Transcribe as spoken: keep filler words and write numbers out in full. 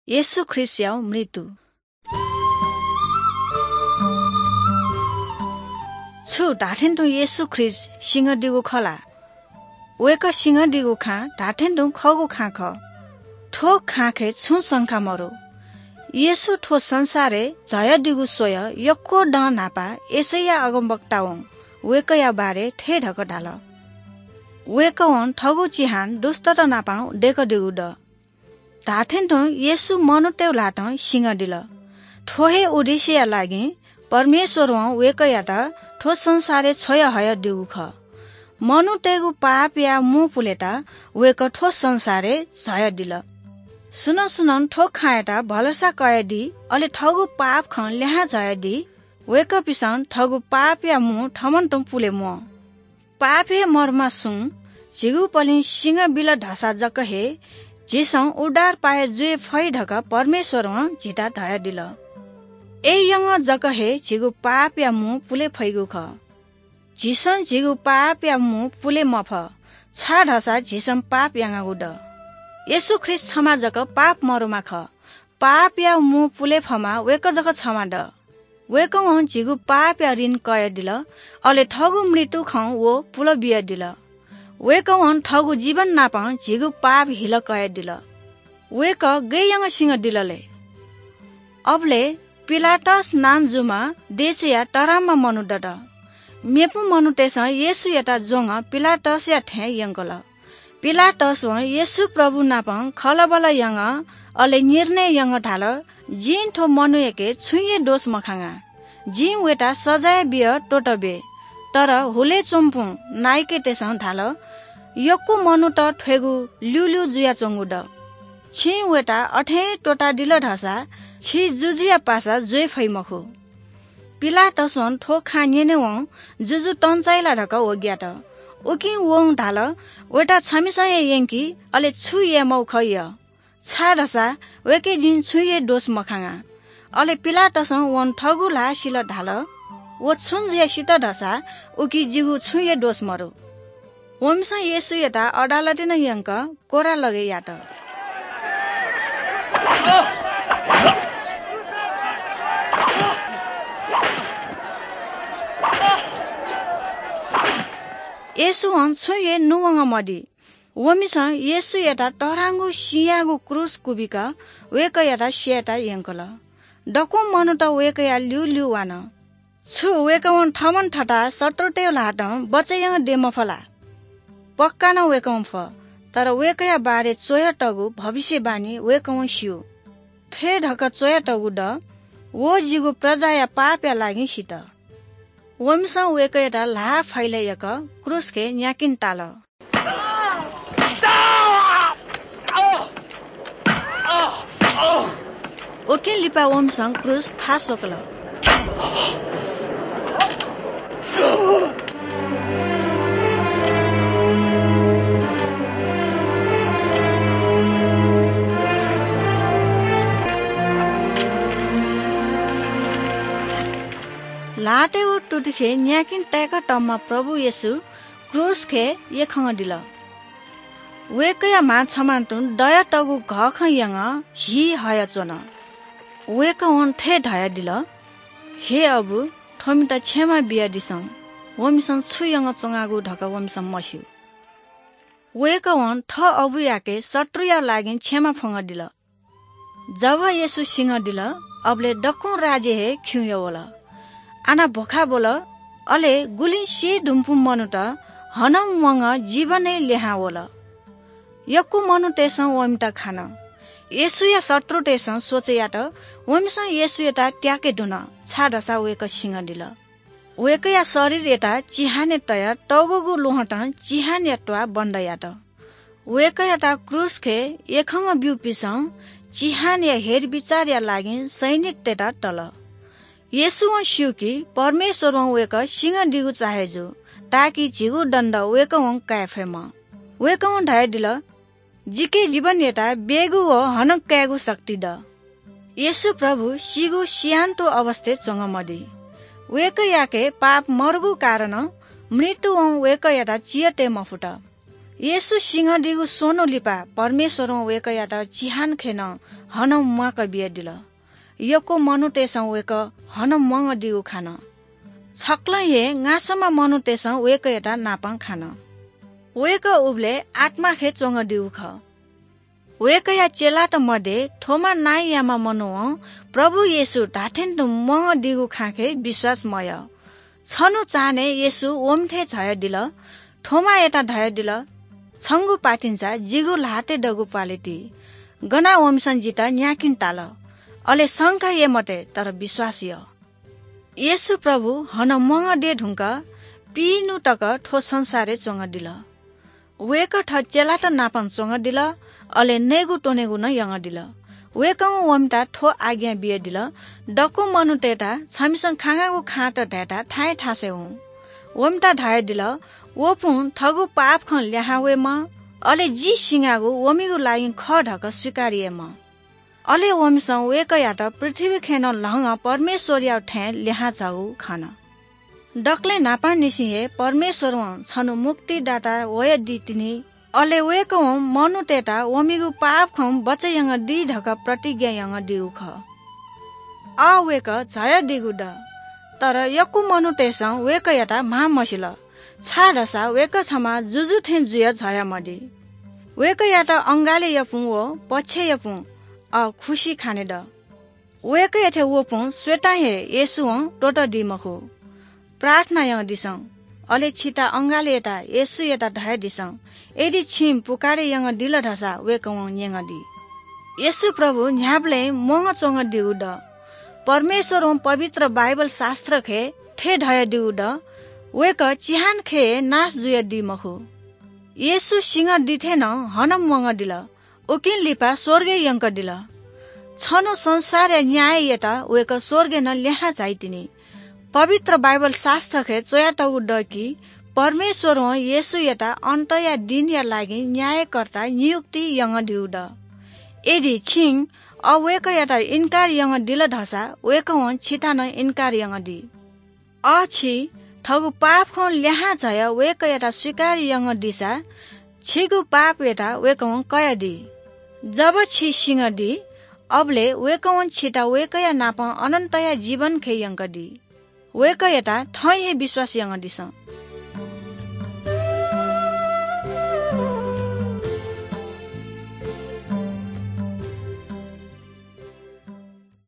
येशू ख्रीष्टया मृत्यु। छु धात्थें तुं येशू ख्रीष्ट सिंहदीगु खः ला? वय्‌कः सिंहदीगु खँ धात्थें तुं खःगु खँ खः। थ्व खँय् छुं शंका मरु। येशू थ्व संसारय् झायादीगु स्वयाः यक्व दँ न्हापा यशैया अगमवक्तां वं वय्‌कःया बारे थथे धकाः धाल, वय्‌कलं थःगु चिहान दुष्टत नाप दय्‌कादीगु दु। धात्थें तुं येशू मनूतय् ल्हातं सिंहदिल। थ्व हे उद्देश्यया लागि परमेश्वरं वय्‌कःयात थ्व संसारय् छ्वयाहयादीगु खः। मनूतय्‌गु पापया मू पुलेत वय्‌कः थ्व संसारय् झायादिल। सुनं सुनं थ्व खँयात भलसा कयादी, अले थःगु पाप खँ ल्यहां झायादी, वय्‌कःपिसं थःगु पापया मू थमं तुं पुले म्वाः। पापय् मरुमा सुं झीगु पलिं सिंह बिल धसा जक हे झीसं उद्धार पाये जुये फइ धकाः परमेश्वरं झीत धयादिल। अय्‌यंगः जक हे झीगु पापया मू पुले फइगु खः। झीसं झीगु पापया मू पुले मफः, छाय्‌धाःसा झीसं पाप यानागु दु। येशू ख्रीष्ट छम्ह जक पाप मरुमा खः। पापया मू पुले फम्ह वय्‌कः जक छम्ह दु। वय्‌कलं झीगु पापया ऋण कयादिल, अले थःगु मृत्युं व पुले बियादिल। वय्‌कलं थःगु जीवन नाप झीगु पाप हिला कयादिल। वय्‌कः गय् यानाः सिंहदिल ले? अबलय् पिलातस नां जूम्ह देशया तःधंम्ह मनू दत। मेपिं मनूतय्‌सं येशूयात ज्वंगः पिलातसया थें यंकल। पिलातसं येशू प्रभु नाप खँल्हाबल्हा यानाः अले निर्णय यानाः धाल, जिं थ्व मनूयाके छुं हे दोष मखंगा। जिं वय्‌त सजाय बियाः त्वःताबे। तर हुलय् च्वंपिं नायःतय्‌सं धाल, यक्व मनूत थ्वयेगु ल्यूल्यू जुयाच्वंगु दु। छिं वय्‌त अथें त्वःतादिल धाःसा छि जुजुया पासा जुइ फइ मखु। पिलातसं थ्व खँ न्यनेवं जुजु तंचाइ ला धकाः व ग्यात। उकिं वं धाल, वय्‌त छमिसं हे यंकि, अले छु याये माःगु खः या, छाय्‌धाःसा वय्‌के जिं छुं हे दोष मखंगा। अले पिलातसं वं थःगु ल्हाः सिल धाल, व छुं जुयाः सित धाःसा उकी जिगु छुं हे दोष मरु। वमिसं येशूयात अदालतय् नं यंकाः कोर्रालगय् यात। येशूं छुं हे नुवंगः मदी। वमिसं येशूयात तःधंगु सिँयाःगु क्रूस क्वबिकाः वय्‌कःयात स्ययेत यंकल। दक्वं मनूत वय्‌कःया ल्यूल्यू वान। छु वय्‌कलं थःम्हं थःत शत्रुतय् ल्हातं बचय् यानादी मफु ला? पक्का नं वय्‌कलं फु, तर वय्‌कःया बारे च्वयातःगु भविष्यवाणी वय्‌कलं स्यू। थथे धकाः च्वयातःगु दु, व जिगु प्रजाया पापया लागि सित। वमिसं वय्‌कःयात ल्हाः फैलय् याकाः क्रूसय् न्यायेत ताल। उकिं लिपा वमिसं क्रूस थाः स्वकल। ल्हातय् व तुतिखे न्यायेत ताय्‌कातःम्ह प्रभु येशू क्रूसय् यख्खानादिल। वय्‌कःया म्हां छम्हं तुं दयातःगु घःखँ यानाः हि हयाच्वन। वय्‌कलं थथे धयादिल, हे अबु, थ्वमित क्षमा बियादिसँ, वमिसं छु यानाच्वंगु धकाः वमिसं मस्यू। वय्‌कलं थः अबुयाके शत्रुया लागि क्षमा फ्वंकादिल। जब येशू सिंहदिल, अबलय् दक्वं राज्य हे खिउँया वल। आना भ्वखाय् ब्वल, अले गुलिं सी धुंकूम्ह मनूत हानं म्वानाः जीवनय् लिहां वल। यक्व मनूतय्‌सं वमित खन। येशूया शत्रुतय्‌सं सोचे यात, वमिसं येशूयात त्याके धुन, छाय्‌धाःसा वय्‌कः सिंहदिल। वय्‌कःया शरीरयात चिहानय् तयाः तःग्वःगु ल्वहंतं चिहानया त्वाः बन्द यात। वय्‌कःयात क्रूसय् यख्खा ब्यूपिन्सं चिहानया हेरबिचारया लागि सैनिकतय्‌त तल। येशूं स्यू कि परमेश्वरं वय्‌कः सिंहदीगु चाहे जू, ताकि झीगु दण्ड वय्‌कलं काये फयेमा। वय्‌कलं धयादिल, जिके जीवनयात ब्ययेगु व हानं कायेगु शक्ति दु। येशू प्रभु सीगु सिहानतुं अवस्थाय् च्वंगः मदी। वय्‌कःयाके पाप मदुगु कारणं मृत्युं वय्‌कःयात चिहानय् तये मफुत। येशू सिंहदीगु स्वन्हु लिपा परमेश्वरं वय्कःयात चिहान खँय् नं हनं म्वाक बियादिल। यक्व मनूतय्सं वय्कः हनं म्वंगदीगु खान। छकलं हे ङासंम्ह मनूतय्सं वय्कःयात नापं खान। वय्कः उबलय् आत्मा खँय् च्वंगदीगु खः। वय्कःया चेलात मध्ये थोमा नांयाम्ह मनूं प्रभु येशू धात्थें तुं म्वंगदीगु खँ खँय् विश्वास मयाः। छन्हु चान्हय् येशू वमिथाय् झायादिल। थोमायात धयादिल, "छंगु पातिंचा जिगु ल्हातय् दगु प्वालय् ति। गनाः वमिसं जितः न्यायेकिं ताल। अले शंका याये मते, तर विश्वास या।" येशू प्रभु हनं म्वंगदये धुंकाः पिइन्हु तक थ्व संसारय् च्वंगदिल। वय्कः थः चेलात नापं च्वंगदिल, अले नयेगु त्वनेगु नं यंगदिल। वय्कलं वमित थ्व आज्ञा बियादिल, "दक्व मनूतय्त छमिसं खंगागु खँत धायेत थाय् थासय् हुँ।" वमित धयादिल, "वपुं थःगु पाप खँ ल्याहां वयेमा, अले जि सिंगागु वमिगु लागिं खः धकाः स्वीकार यायेमा।" अले वमिसं वय्कःयात पृथ्वी खँय् नं ल्हंगं परमेश्वरया थें ल्याहां झाःगु खन। दकलय् न्हापांनिसें हे परमेश्वरं छन्हु मुक्तिदाता वयादी तिनि। अले वय्कलं मनूतय्त वमिगु पाप खँ बचय् यानादी धकाः प्रतिज्ञा यानादीगु खः। आः वय्कः झायादीगु दु, तर यक्व मनूतय्सं वय्कःयात म्हां मसिल, छाय्धाःसा वय्कः छम्ह जुजु थें जुयाः झायामदी। वय्कःयात अंगालय् याःपुं व पक्षय् याःपुं आः खुसि खाने दु। वय्कःयाथाय् वःपुं स्वयेत हे येशूं त्वःतादी मखु। प्रार्थना यानादिसँ, अले छिता अंगालय् यानाः येशूयात धयादिसँ, यदि छिं पुकारे यानादिल धाःसा वय्कलं न्यनादी। येशू प्रभु न्ह्याबलें म्वंगः च्वंगदीगु दु। परमेश्वरं पवित्र बाइबल शास्त्र खँय् थथे धयादीगु दु, "वय्कः चिहान खँय् हे नाश जुयादी मखु।" येशू सिंहदीथाय् नं हनं म्वंगदिल। उकिं लिपा स्वर्गय् यंकदिल। छन्हु संसारया न्याय यायेत वय्कः स्वर्गय् नं लिहां झाइतिनि। पवित्र बाइबल शास्त्रखय् च्वयातःगु दु कि परमेश्वरं येशूयात अन्तया दिनया लागि न्यायकर्ता नियुक्ति यानादीगु दु। यदि छिं अ वय्कःयात इन्कार यानादिल धाःसा वय्कलं छित नं इन्कार यानादी। अ छि थःगु पाप खँ लिहां झायाः वय्कःयात स्वीकार यानादिसा छिगु पापयात वय्कलं कयादी। जब छि सिंहदी, अबलय् वय्कलं छित वय्कःया नाप अनन्तया जीवन खँय् यंकादी। वय्कःयात थौं हे विश्वास यानादिसँ।